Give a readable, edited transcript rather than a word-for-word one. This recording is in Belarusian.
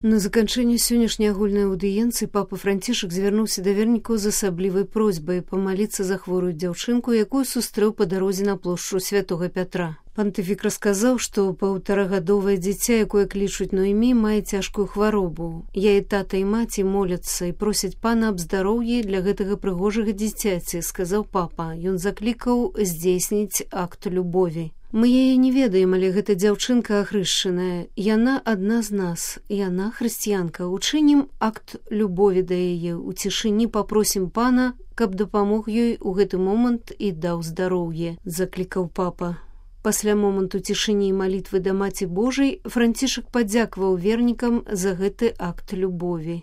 На заканчэнне сённяшняй агульнай аўдыенцыі папа Францішак звярнуўся да вернікаў з асаблівай просьбай памаліцца за хворую дзяўчынку, якую сустрэў па дарозе на плошчу святога Пятра. Пантыфік расказаў, што паўтарагадовае дзіця, якое клічуць Ноэмі, мае цяжкую хваробу. Яе тата і маці моляцца і просяць пана аб здароўі для гэтага прыгожага дзіцяці, сказаў папа. Ён заклікаў здзейсніць акт любові. Мы яе не ведаем, але гэта дзяўчынка ахрышчаная. Яна адна з нас, яна хрысціянка. Учынім акт любові да яе. У цішыні папросім пана, каб дапамог ёй у гэты момант і даў здароўе, заклікаў папа. Пасля моманту цішыні і малітвы да Маці Божай Францішак падзякаваў вернікам за гэты акт любові.